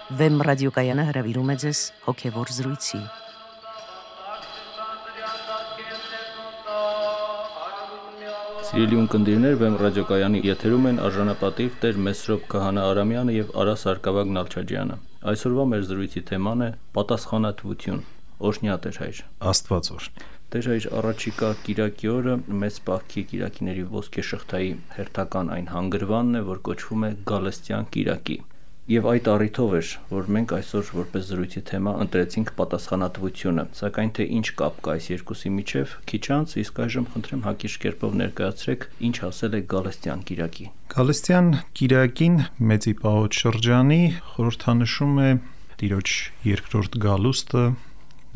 Վեմ ռադիոկայանը հրավիրում է ձեզ հոգևոր զրույցի։ Սիրելի ունկնդիրներ, Վեմ ռադիոկայանի եթերում են արժանապատիվ Տեր Մեսրոպ Քահանա Արամյանը եւ Արա Սարգսակյան Նալչաջյանը։ Այսօրվա մեր զրույցի թեման է պատասխանատվություն։ Օրհնյա Տեր հայր։ Աստված օր։ Տեր հայր, առաջիկա կիրակի օրը մեծ պահքի կիրակիների ոսկե շղթայի հերթական այն հանգրվանն է, որ կոչվում է Գալստյան կիրակի։ Եվ այդ առիթով էր, որ մենք այսօր որպես զրույցի թեմա ընտրեցինք պատասխանատվությունը, սակայն թե ինչ կապ կա այս երկուսի միջև, քիչ անց, իսկ այժմ խնդրեմ հակիրճ կերպով ներկայացրեք, ինչ ասել է Գալստյան կիրակի։ Գալստյան կիրակին Մեծի Պահոց շրջանի խորհրդանշում է Տիրոջ երկրորդ գալուստը,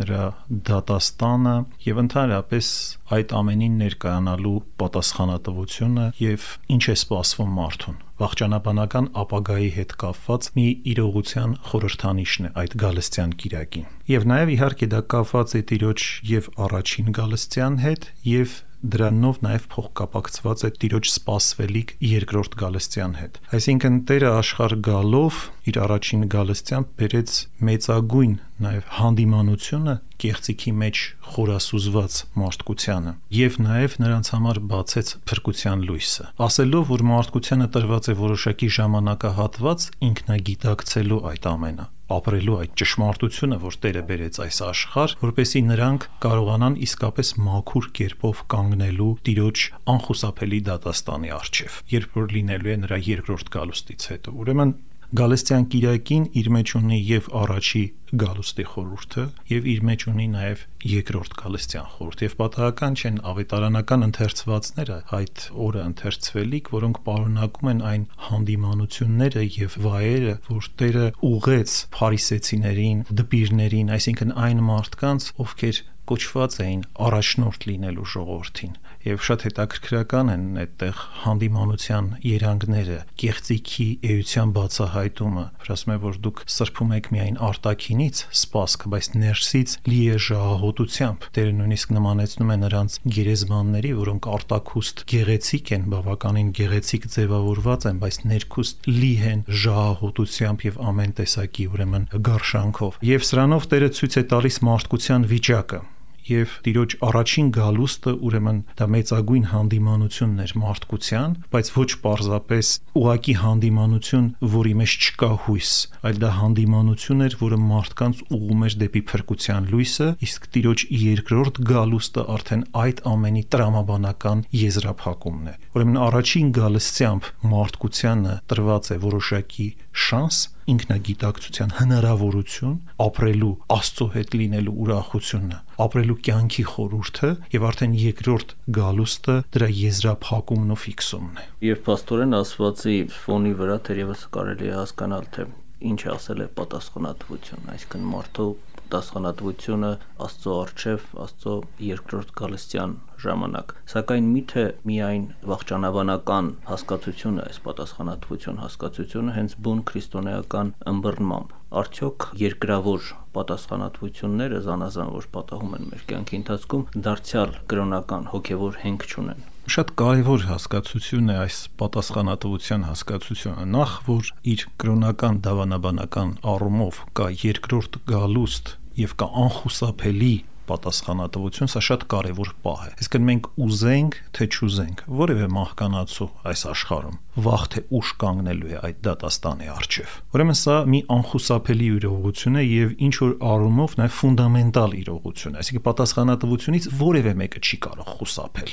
նրա դատաստանը եւ ընդհանրապես այդ ամենին ներկայանալու պատասխանատվությունը եւ ինչ է սպասվում մարդուն։ Վաղճանաբանական ապագայի հետ կապված մի իրողության խորհրդանիշն է այդ Գալստյան կիրակին։ Եվ նաեւ իհարկե դա կապված է Տիրոջ եւ առաջին Գալստյան հետ եւ դրանով նաև փոխկապակցված է Տիրոջ սպասվելիք երկրորդ Գալստյան հետ։ Այսինքն Տերը աշխարհ գալով իր առաջին Գալստյան բերեց մեծագույն նաև հանդիմանությունը կեղծիքի մեջ խորասուզված մարդկությանը եւ նաև նրանց համար բացեց փրկության լույսը, ասելով, որ մարդկությանը տրված է որոշակի ժամանակահատված ինքնագիտակցելու այդ ամենը, ապրելու այդ ճշմարտությունը, որ Տերը բերեց այս աշխարհ, որպեսզի նրանք կարողանան իսկապես մաքուր կերպով կանգնելու Տիրոջ անխուսափելի դատաստանի առջև, երբ որ լինելու է նրա երկրորդ գալուստից հետո։ Ուրեմն Գալստյան կիրակին իր մեջ ունի եւ առաջի գալուստի խորհուրդը եւ իր մեջ ունի նաեւ երկրորդ Գալստյան խորհուրդ եւ պատահական չեն ավետարանական ընթերցվածները այդ օրը ընթերցվելիք, որոնք պարունակում են այն հանդիմանությունները եւ վայերը, որ Տերը ուղեց փարիսեցիներին, դպիրներին, այսինքն այն մարդկանց, ովքեր կոչված էին առաջնորդ լինելու ժողովրդին եւ շատ հետաքրքրական են այդտեղ հանդիմանության երանգները, կեղծիքի էության բացահայտումը, որ ասում է, որ դուք սրբում եք միայն արտաքինից սպասք, բայց ներսից լի է ժահոտությամբ։ Տերը նույնիսկ նմանեցնում է նրանց գերեզմանների, որոնք արտաքուստ գեղեցիկ են, բավականին գեղեցիկ ձևավորված են, բայց ներքուստ լի են ժահոտությամբ եւ ամեն տեսակի ուրեմն գարշանքով։ Եվ սրանով Տերը ցույց է տալիս մարդկության վիճակը։ Եվ Տիրոջ առաջին գալուստը ուրեմն դա մեծագույն հանդիմանությունն էր մարդկության, բայց ոչ պարզապես ուղակի հանդիմանություն, որի մեջ չկա հույս, այլ դա հանդիմանություն էր, որը մարդկանց ուղղում էր դեպի փրկության լույսը, իսկ Տիրոջ երկրորդ գալուստը արդեն այդ ամենի տրամաբանական եզրափակումն է։ Ուրեմն առաջին գալստյամբ մարդկությանը տրված է որոշակի շանս, ինքնագիտակցության հնարավորություն, ապրելու Աստծո հետ լինելու ուրախությունը, ապրելու կյանքի խորհուրդը եւ արդեն երկրորդ գալուստը դրա եզրափակումն ու ֆիքսումն է։ Եվ փաստորեն ասվածի ֆոնի վրա թերևս կարելի է հասկանալ, թե ինչ ասել է պատասխանատվություն, այսինքն մարդու պատասխանատվությունը Աստծո առջև, Աստծո երկրորդ Գալստյան ժամանակ։ Սակայն միթե միայն վաղճանաբանական հասկացությունը, այս պատասխանատվություն հասկացությունը հենց բուն քրիստոնեական ըմբռնմամբ, արդյոք երկրավոր պատասխանատվությունները զանազան որ պատահում են մեր կյանքի ընթացքում դարձյալ կրոնական հոգևոր հենք չունեն։ Շատ կարևոր հասկացություն է այս պատասխանատվության հասկացությունը, նախ որ իր կրոնական դավանաբանական առումով կա երկրորդ գալուստ եւ կա անխուսափելի պատասխանատվություն, սա շատ կարևոր պահ է։ Այսինքն մենք ուզենք, թե չուզենք, որևէ մահկանացու այս աշխարհում վաղ թե ուշ կանգնելու է այդ դատաստանի առջև։ Ուրեմն սա մի անխուսափելի իրողություն է եւ ինչ որ առումով նաեւ ֆունդամենտալ իրողություն է։ Այսինքն պատասխանատվությունից որևէ մեկը չի կարող խուսափել։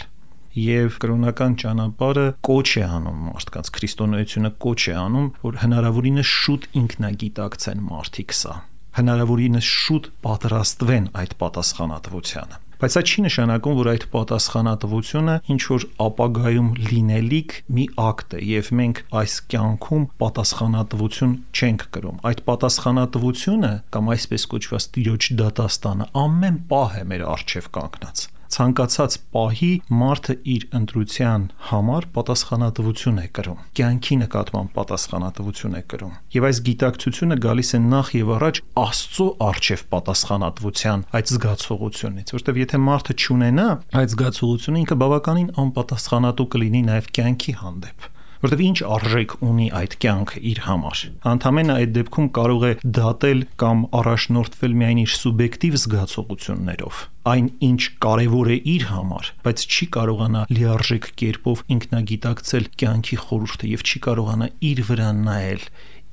Եվ կրոնական ճանապարհը կոչ է անում մարդկանց, քրիստոնեությունը կոչ է անում, որ հնարավորինս շուտ ինքնագիտակցեն մարդիկ սա, հնարավորինս շուտ պատրաստվեն այդ պատասխանատվությանը։ Բայց սա չի նշանակում, որ այդ պատասխանատվությունը ինչ որ ապագայում լինելիք մի ակտ է եւ մենք այս կյանքում պատասխանատվություն չենք կրում։ Այդ պատասխանատվությունը կամ այսպես կոչված Տիրոջ դատաստանը ամեն պահ է մեր առջև կանգնած։ Ցանկացած պահի մարդը իր ընտրության համար պատասխանատվություն է կրում, կյանքի նկատմամբ պատասխանատվություն է կրում։ Եվ այս գիտակցությունը գալիս է նախ եւ առաջ Աստծո առջև պատասխանատվության այդ զգացողությունից, որտեղ եթե մարդը չունենա այդ զգացողությունը, ինքը բավականին անպատասխանատու կլինի նաեւ կյանքի հանդեպ։ որտեղ ինչ արժեք ունի այդ կյանքը իր համար։ Ընդամենը այդ դեպքում կարող է դատել կամ առաջնորդվել միայն իր սուբյեկտիվ զգացողություններով, այն ինչ կարևոր է իր համար, բայց չի կարողանա լիարժեք կերպով ինքնագիտակցել կյանքի խորհուրդը եւ չի կարողանա իր վրա նայել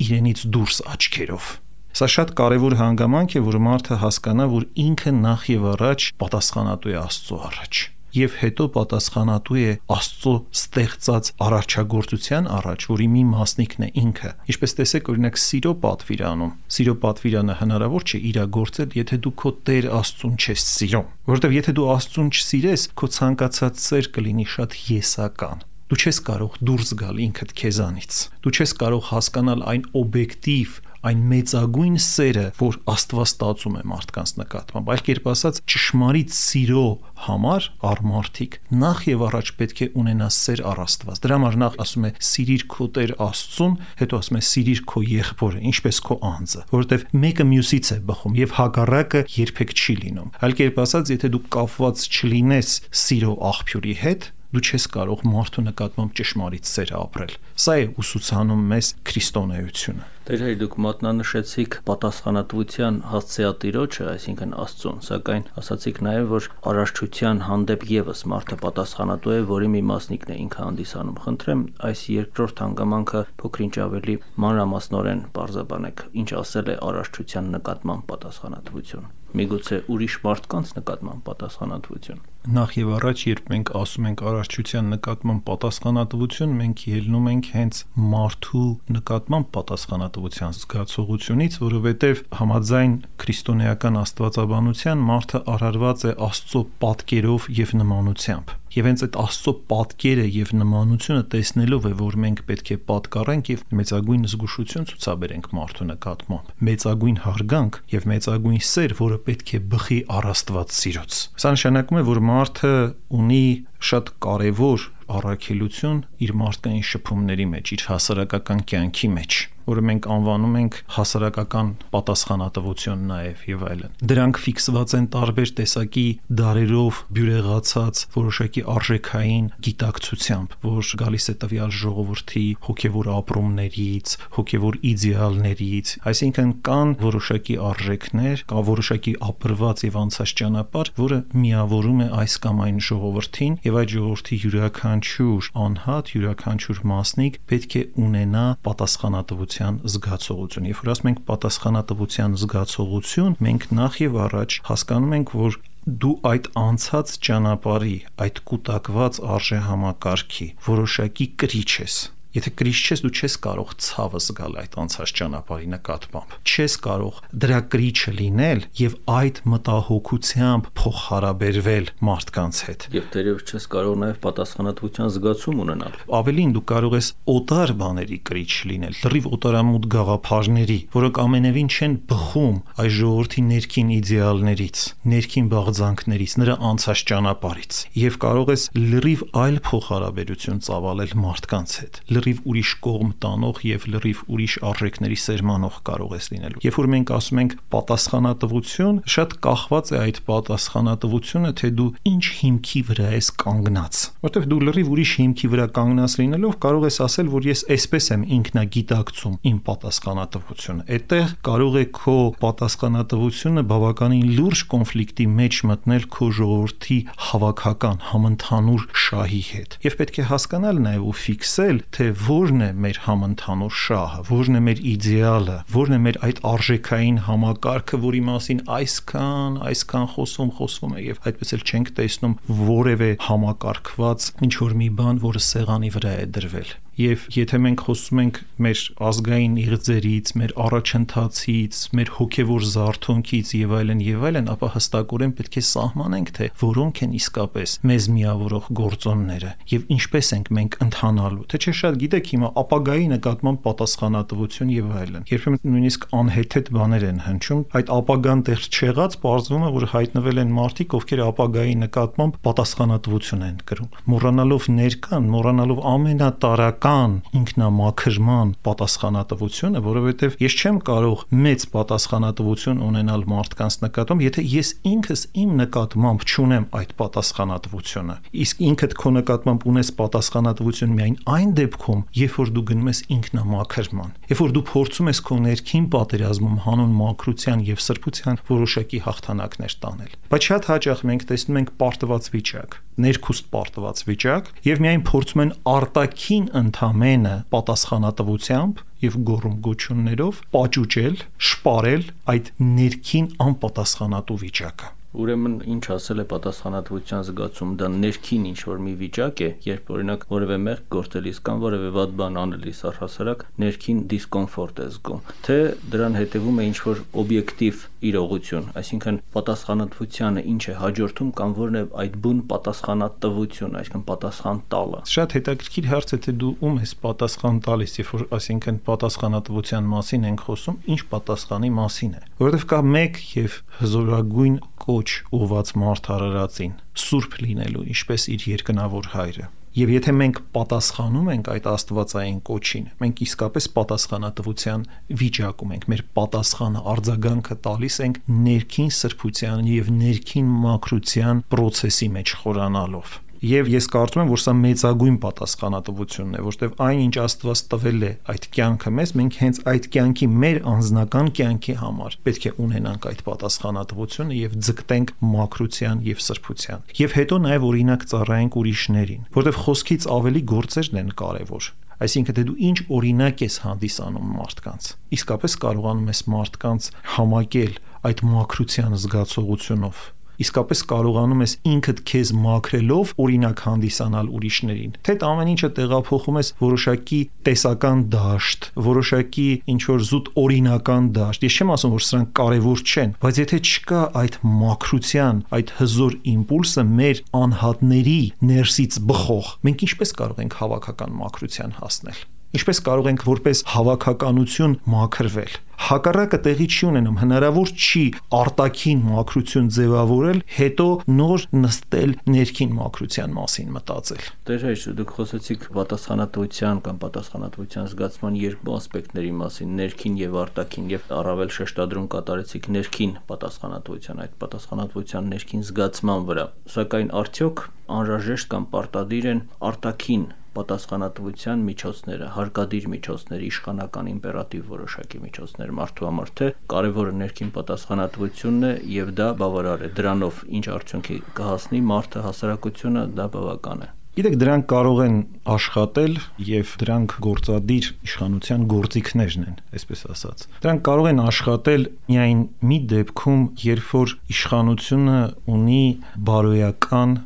իրենից դուրս աչքերով։ Սա շատ կարևոր հանգամանք է, որ մարդը հասկանա, որ ինքը նախ եւ առաջ պատասխանատու է Աստծո առաջ եւ հետո պատասխանատու է Աստծո ստեղծած արարչագործության առաջ, որի մի մասնիկն է ինքը։ Ինչպես տեսեք, օրինակ սիրո պատվիրանում, սիրո պատվիրանը հնարավոր չէ իրագործել, եթե դու քո Տեր Աստծուն չես սիրում, որովհետեւ եթե դու Աստծուն չսիրես, քո ցանկացած սեր կլինի շատ եսական։ Դու չես կարող դուրս գալ ինքդ քեզանից։ Դու չես կարող հասկանալ այն օբյեկտիվ, այն մեծագույն սերը, որ Աստված ստացում է մարդկանց նկատմամբ։ Այլ կերպ ասած, ճշմարիտ սիրո համար առմարթիկ նախ եւ առաջ պետք է ունենա սեր առ Աստված։ Դրա համար նախ ասում է սիրիր քո Տեր Աստծուն, հետո ասում է սիրիր քո եղբորը, ինչպես քո անձը, որովհետեւ մեկը մյուսից է բխում եւ հակառակը երբեք չի լինում։ Այլ կերպ ասած, եթե դու կապված չլինես սիրո աղբյուրի հետ, դու չես կարող մարդու նկատմամբ ճշմարիտ սեր ապրել։ Սա է ուսուցանում մեզ քրիստոնեությունը։ Տեր դուք մատնանշեցիք պատասխանատվության հասցեատիրոջը, այսինքն Աստծուն, սակայն ասացիք նաև, որ արարչության հանդեպ եւս մարդը պատասխանատու է, որի մի մասնիկն է ինքը հանդիսանում։ Խնդրեմ, այս երկրորդ հանգամանքը փոքրինչ ավելի մանրամասնորեն բարձրաբանեք, ինչ ասել է արարչության նկատմամբ պատասխանատվություն։ Միգուցե ուրիշ մարդկանց նկատմամբ պատասխանատվություն։ Նախ եւ առաջ, երբ մենք ասում ենք արարչության նկատմամբ պատասխանատվություն, մենք ելնում ենք հենց մարդու նկատմամբ պատասխանատվության զգացողությունից, որովհետեւ համաձայն քրիստոնեական աստվածաբանության մարդը արարված է Աստծո պատկերով եւ նմանությամբ։ Եվ հենց այդ Աստծո պատկերը եւ նմանությունը տեսնելով է, որ մենք պետք է պատկառենք եւ մեծագույն զգուշություն ցուցաբերենք մարդու նկատմամբ, մեծագույն հարգանք եւ մեծագույն սեր, որը պետք է բխի առ Աստված սիրոց։ Սա նշանակում է, որ մարդը ունի շատ կարևոր առաքելություն իր մարդկային շփումների մեջ, իր հասարակական կյանքի մեջ, որը մենք անվանում ենք հասարակական պատասխանատվություն նաև եւ այլն։ Դրանք ֆիքսված են տարբեր տեսակի դարերով բյուրեղացած որոշակի արժեքային գիտակցությամբ, որ գալիս է տվյալ ժողովրդի հոգևոր ապրումներից, հոգևոր իդեալներից, այսինքն կան որոշակի արժեքներ, կա որոշակի ապրված եւ անցած ճանապարհ, որը միավորում է այս կամ այն ժողովրդին եւ այդ ժողովրդի յուրաքանչյուր անհատ, յուրաքանչյուր մասնիկ պետք է ունենա պատասխանատվության զգացողություն։ Երբ որ ասում ենք պատասխանատվության զգացողություն, մենք նախ եւ առաջ հասկանում ենք, որ դու այդ անցած ճանապարհի, այդ կուտակված արժեհամակարգի որոշակի կրիչ ես։ Եթե կրիչ չես, դու չես կարող ցավը զգալ այդ անցած ճանապարհի նկատմամբ։ Չես կարող դրա կրիչը լինել եւ այդ մտահոգությամբ փոխհարաբերվել մարդկանց հետ։ Եվ դերևս չես կարող նաեւ պատասխանատվության զգացում ունենալ։ Ավելին, դու կարող ես օտար բաների կրիչ լինել, լրիվ օտարամուտ գաղափարների, որոնք ամենևին չեն բխում այս ժողովրդի ներքին իդեալներից, ներքին բաղձանքներից, նրա անցած ճանապարհից։ Եվ կարող ես լրիվ այլ փոխհարաբերություն ծավալել մարդկանց հետ։ Լրիվ ուրիշ կողմ տանող եւ լրիվ ուրիշ արժեքների սերմանող կարող ես լինելու։ Երբ որ մենք ասում ենք պատասխանատվություն, շատ կախված է այդ պատասխանատվությունը, թե դու ինչ հիմքի վրա ես կանգնած։ Որտեւ դու լրիվ ուրիշ հիմքի վրա կանգնած լինելով կարող ես ասել, որ ես այսպես եմ ինքնագիտակցում իմ պատասխանատվությունը։ Այդտեղ կարող է քո պատասխանատվությունը բավականին լուրջ կոնֆլիկտի մեջ մտնել քո ժողովրդի հավաքական համընդհանուր շահի հետ։ Եվ պետք է հասկանալ նաեւ ու ֆիքսել, թե որն է մեր համընդհանուր շահը, որն է մեր իդեալը, որն է մեր այդ արժեքային համակարգը, որի մասին այսքան խոսվում է եւ այդպես էլ չենք տեսնում որևէ համակարգված ինչ որ մի բան, որը սեղանի վրա է դրվել։ Եվ եթե մենք խոսում ենք մեր ազգային իղձերից, մեր առաջընթացից, մեր հոգևոր զարթոնքից եւ այլն, ապա հստակորեն պետք է սահմանենք, թե որոնք են իսկապես մեզ միավորող գործոնները եւ ինչպես ենք մենք ընթանալու։ Թե չէ շատ գիտեք հիմա ապագայի նկատմամբ պատասխանատվություն եւ այլն։ Երբեմն նույնիսկ անհեթեթ բաներ են հնչում, այդ ապագան դեռ չեղած, պարզվում է, որ հայտնվել են մարդիկ, ովքեր ապագայի նկատմամբ պատասխանատվություն են կրում, մոռանալով ներկան, մոռանալով ամենատարրական իրական ինքնամաքրման պատասխանատվությունը, որովհետև ես չեմ կարող մեծ պատասխանատվություն ունենալ մարդկանց նկատմամբ, եթե ես ինքս իմ նկատմամբ չունեմ այդ պատասխանատվությունը։ Իսկ ինքդ քո նկատմամբ ունես պատասխանատվություն միայն այն դեպքում, երբ որ դու գնում ես ինքնամաքրման, երբ որ դու փորձում ես քո ներքին պատերազմում հանուն մաքրության եւ սրբության որոշակի հաղթանակներ տանել։ Բայց շատ հաճախ մենք տեսնում ենք պարտված վիճակ, ներքուստ պարտված վիճակ, եւ միայն փորձում են արտաքին ընդամենը պատասխանատվությամբ եւ գոռում-գոչյուններով պաճուճել, շպարել այդ ներքին անպատասխանատու վիճակը։ Ուրեմն ինչ ասել է պատասխանատվության զգացում, դա ներքին ինչ-որ մի վիճակ է, երբ օրինակ որևէ մեղք գործելիս կամ որևէ վատ բան անելիս առհասարակ ներքին դիսկոմֆորտ է զգում, թե դրան հետևում է ինչ-որ օբյեկտիվ իրողություն, այսինքն պատասխանատվությանը ինչ է հաջորդում կամ որն է այդ բուն պատասխանատվությունը, այսինքն պատասխան տալը։ Շատ հետաքրքիր հարց է, թե դու ում ես պատասխան տալիս, երբ որ այսինքն պատասխանատվության մասին ենք խոսում, ինչ պատասխանի մասին է, որովհետև կա մեկ եւ հզորագույն կոչ ուղված մարդ արարածին, սուրբ լինելու, ինչպես իր երկնավոր հայրը։ Եվ եթե մենք պատասխանում ենք այդ աստվածային կոչին, մենք իսկապես պատասխանատվության վիճակում ենք, մեր պատասխանը արձագանքը տալիս ենք ներքին սրբության եւ ներքին մաքրության process-ի մեջ խորանալով։ Եվ ես կարծում եմ, որ սա մեծագույն պատասխանատվությունն է, որտեղ այն ինչ Աստված տվել է այդ կյանքը մեզ, մենք հենց այդ կյանքի մեր անձնական կյանքի համար պետք է ունենանք այդ պատասխանատվությունը եւ ձգտենք մաքրության եւ սրբության։ Եվ հետո նաեւ օրինակ ծառայենք ուրիշներին, որտեղ խոսքից ավելի գործերն են կարեւոր։ Այսինքն դու ինչ օրինակ ես հանդիսանում մարդկանց։ Իսկապես կարողանում ես մարդկանց համակել այդ մաքրության զգացողությունով։ Իսկապես կարողանում ես ինքդ քեզ մաքրելով օրինակ հանդիսանալ ուրիշներին։ Թե ամեն ինչը տեղափոխում ես որոշակի տեսական դաշտ, որոշակի ինչ-որ զուտ օրինական դաշտ։ Ես չեմ ասում, որ սրանք կարևոր չեն, բայց եթե չկա այդ մաքրության, այդ հզոր իմպուլսը մեր անհատների ներսից բխող, մենք ինչպես կարող ենք հավաքական մաքրության հասնել։ Ինչպես կարող ենք որպես հավաքականություն մաքրվել։ Հակառակը տեղի չի ունենում, հնարավոր չի արտաքին մաքրություն ձևավորել, հետո նոր նստել ներքին մաքրության մասին մտածել։ Տեր հայր, դուք խոսեցիք պատասխանատվության կամ պատասխանատվության զգացման երկու ասպեկտների մասին, ներքին եւ արտաքին, եւ առավել շեշտադրում կատարեցիք ներքին պատասխանատվության, այդ պատասխանատվության ներքին զգացման վրա։ Սակայն արդյոք անհրաժեշտ կամ պարտադիր են արտաքին պատասխանատվության միջոցները, հարկադիր միջոցները, իշխանական իմպերատիվ որոշակի միջոցներ մարդու համար, թե կարևորը ներքին պատասխանատվությունն է եւ դա բավարար է, դրանով ինչ արդյունքի կհասնի մարդը, հասարակությունը, դա բավական է։ Գիտեք, դրանք կարող են աշխատել եւ դրանք գործադիր իշխանության գործիքներն են, այսպես ասած։ Դրանք կարող են աշխատել միայն մի դեպքում, երբ որ իշխանությունը ունի բարոյական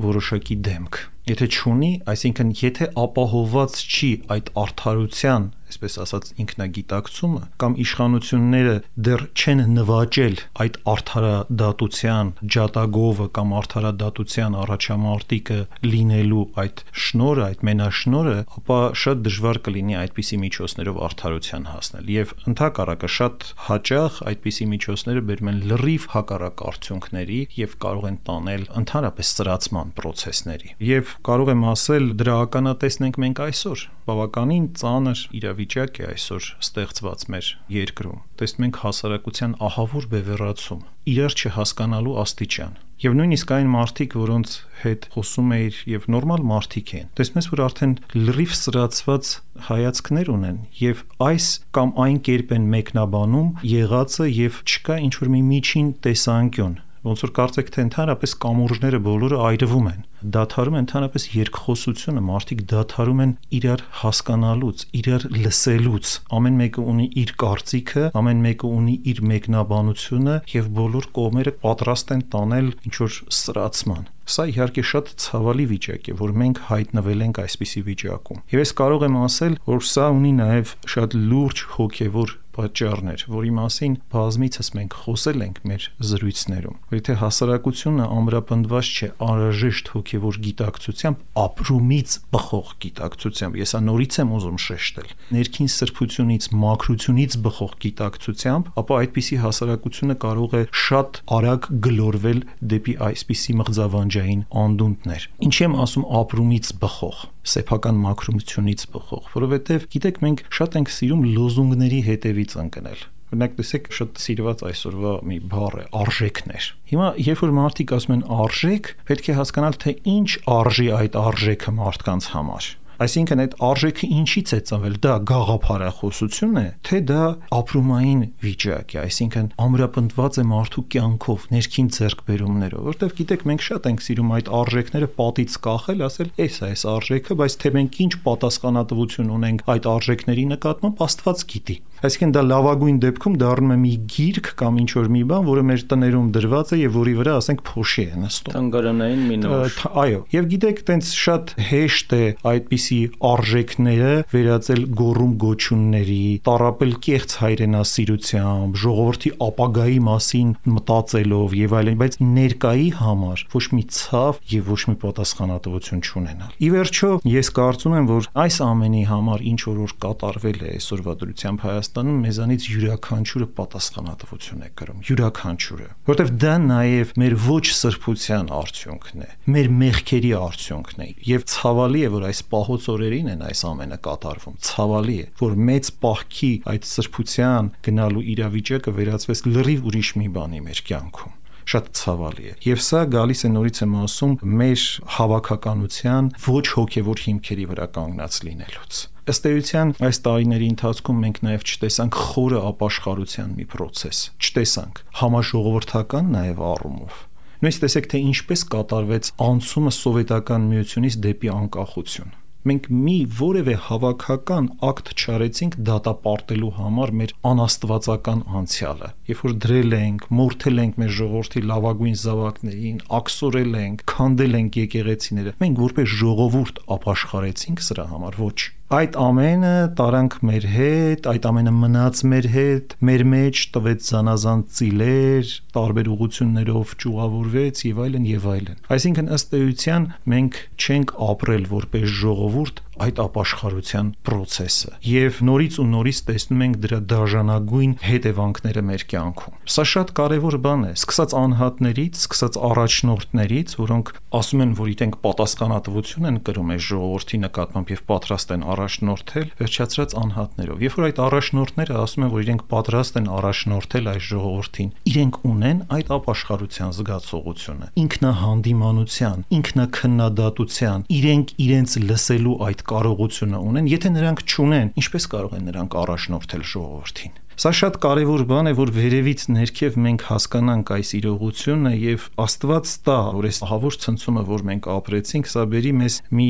որոշակի դեմք։ Եթե չունի, այսինքն եթե ապահովված չի այդ արդարության, այսպես ասած ինքնագիտակցումը, կամ իշխանությունները դեռ չեն նվաճել այդ արդարադատության ջատագովը կամ արդարադատության առաջամարտիկը լինելու այդ շնորհը, այդ մենաշնորհը, ապա շատ դժվար կլինի այդպիսի միջոցներով արդարության հասնել։ Եվ ընդհակառակը շատ հաճախ այդպիսի միջոցները բերում են լրիվ հակառակ արդյունքների եւ կարող են տանել ընդհանրապես սրացման process-ների։ Եվ կարող եմ ասել, դրա ականատեսն ենք մենք այսօր։ Բավականին ծանր իրավիճակ է այսօր ստեղծված մեր երկրում։ Տեսնում ենք հասարակության ահավոր բևեռացում, իրար չհասկանալու աստիճան։ Եվ նույնիսկ այն մարդիկ, որոնց հետ խոսում էիր եւ նորմալ մարդիկ են, տեսնում ես, որ արդեն լրիվ սրացված հայացքներ ունեն եւ այս կամ այն կերպ են մեկնաբանում եղածը եւ չկա ինչ որ մի միջին տեսանկյուն։ Ոնց որ կարծեք, թե ընդհանրապես կամուրջները բոլորը այրվում են, դադարում է ընդհանրապես երկխոսությունը, մարդիկ դադարում են իրար հասկանալուց, իրար լսելուց, ամեն մեկը ունի իր կարծիքը, ամեն մեկը ունի իր մեկնաբանությունը եւ բոլոր կողմերը պատրաստ են տանել ինչ-որ սրացման։ Սա իհարկե շատ ցավալի վիճակ է, որ մենք հայտնվել ենք այսպիսի վիճակում։ Եվ ես կարող եմ ասել, որ սա ունի նաեւ շատ լուրջ հոգեվոր պատճառներ, որի մասին բազմիցս մենք խոսել ենք մեր զրույցներում։ Որ եթե հասարակությունը ամրապնդված չէ անհրաժեշտ հոգեվոր գիտակցությամբ, ապրումից բխող գիտակցությամբ, ես նորից եմ ուզում շեշտել, ներքին սրբությունից, մաքրությունից բխող գիտակցությամբ, ապա այդպիսի հասարակությունը կարող է շատ արագ գլորվել դեպի այսպիսի մղձավանջային անդունդներ։ Ինչի եմ ասում ապրումից բխող։ սեփական մաքրությունից բխող, որովհետև գիտեք մենք շատ ենք սիրում լոզունգների հետևից ընկնել։ Օրինակ տեսեք շատ սիրված այսօրվա մի բառ է արժեքներ։ Հիմա երբ որ մարդիկ ասում են արժեք, պետք է հասկանալ թե ինչ արժի այդ արժեքը մարդկանց համար։ Այսինքն այդ արժեքը ինչից է ծնվել, դա գաղափարախոսություն է, թե դա ապրումային վիճակ է, այսինքն ամրապնդված է մարդու կյանքով, ներքին ձեռքբերումներով, որտեղ գիտեք մենք շատ ենք սիրում այդ արժեքները պատից կախել, ասել, այս արժեքը, բայց թե մենք ինչ պատասխանատվություն ունենք այդ արժեքների նկատմամբ, Աստված գիտի։ Այսինքն դա լավագույն դեպքում դառնում է մի գիրք կամ ինչ որ մի բան, որը մեր տներում դրված է եւ որի վրա ասենք փոշի է նստում։ Թանգարանային մի նոր։ Այո, եւ գիտեք, տենց շատ հեշտ է այդպիսի արժեքները վերածել գոռում գոչյունների, տառապել կեղծ հայրենասիրությամբ, ժողովրդի ապագայի մասին մտածելով եւ այլն, բայց ներկայի համար ոչ մի ցավ եւ ոչ մի պատասխանատվություն չունենալ։ Ի վերջո, ես կարծում եմ, որ այս ամենի համար ինչ որ կատարվել է այսօրվա դրությամբ Հայաստանում մեզանից յուրաքանչյուրը պատասխանատվություն է կրում, յուրաքանչյուրը, որտեվ դա նաև մեր ոչ սրբության արդյունքն է, մեր մեղքերի արդյունքն է, եւ ցավալի է, որ այս պահոց օրերին են այս ամենը կատարվում, ցավալի է, որ մեծ պահքի այդ սրբության գնալու իրավիճակը վերածվեց լրիվ ուրիշ մի բանի մեր կյանքում։ Շատ ցավալի է։ Եվ սա գալիս է նորից եմ ասում մեր հավաքականության ոչ հոգևոր հիմքերի վրա կանգնած լինելուց։ Ըստ էության այս տարիների ընթացքում մենք նաև չտեսանք խորը ապաշխարության մի process, չտեսանք համաժողովրդական նաև առումով։ Նույնիսկ տեսեք թե ինչպես կատարվեց անցումը սովետական միությունից դեպի անկախություն։ Մենք մի որևէ հավաքական ակտ չարեցինք դատապարտելու համար մեր անաստվածական անցյալը։ Երբ որ դրել ենք, մորթել ենք մեր ժողովրդի լավագույն զավակներին, աքսորել ենք, քանդել ենք եկեղեցիները, մենք որպես ժողովուրդ ապաշխարեցինք սրա համար, ոչ։ Այդ ամենը տարանք մեր հետ, այդ ամենը մնաց մեր հետ, մեր մեջ տվեց զանազան ծիլեր, տարբեր ուղություններով ճյուղավորվեց եւ այլն եւ այլն։ Այսինքն ըստ էության մենք չենք ապրել որպես ժողովուրդ այդ ապաշխարության process-ը եւ նորից ու նորից տեսնում ենք դրա դաժանագույն հետևանքները մեր կյանքում։ Սա շատ կարեւոր բան է, սկսած անհատներից, սկսած առաջնորդներից, որոնք ասում են, որ իրենք պատասխանատվություն են կրում այս ժողովրդի նկատմամբ եւ պատրաստ են առաջնորդել, վերջացրած անհատներով։ Երբ որ այդ առաջնորդները ասում են, որ իրենք պատրաստ են առաջնորդել այս ժողովրդին, իրենք ունեն այդ ապաշխարության զգացողությունը, ինքնահանդիմանության, ինքնաքննադատության, իրենք իրենց լսելու այդ կարողությունը ունեն, եթե նրանք չունեն, ինչպես կարող են նրանք առաջնորդել ժողովրդին։ Սա շատ կարևոր բան է, որ վերևից ներքև մենք հասկանանք այս իրողությունը եւ Աստված տա, որ այս ահավոր ցնցումը, որ մենք ապրեցինք, սա բերի մեզ մի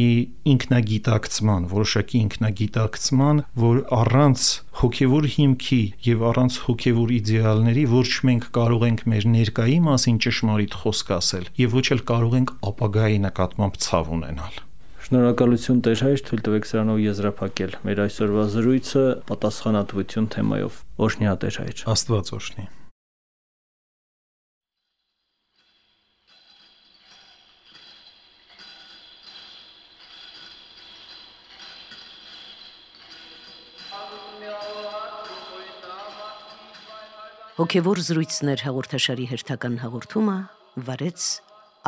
ինքնագիտակցման, որոշակի ինքնագիտակցման, որ առանց հոգևոր հիմքի եւ առանց հոգևոր իդեալների ոչ մենք կարող ենք մեր ներկայի մասին ճշմարիտ խոսք ասել եւ ոչ էլ կարող ենք ապագայի նկատմամբ ցավ ունենալ։ Շնորհակալություն Տեր հայր, թույլ տվեք սրանով եզրափակել մեր այսօրվա զրույցը պատասխանատվություն թեմայով։ Օրհնյա Տեր հայր։ Աստված օրհնի։ Հոգևոր զրույցներ հաղորդաշարի հերթական հաղորդումը վարեց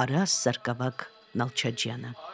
Արաս Սարգսակ Նալչաջյանը։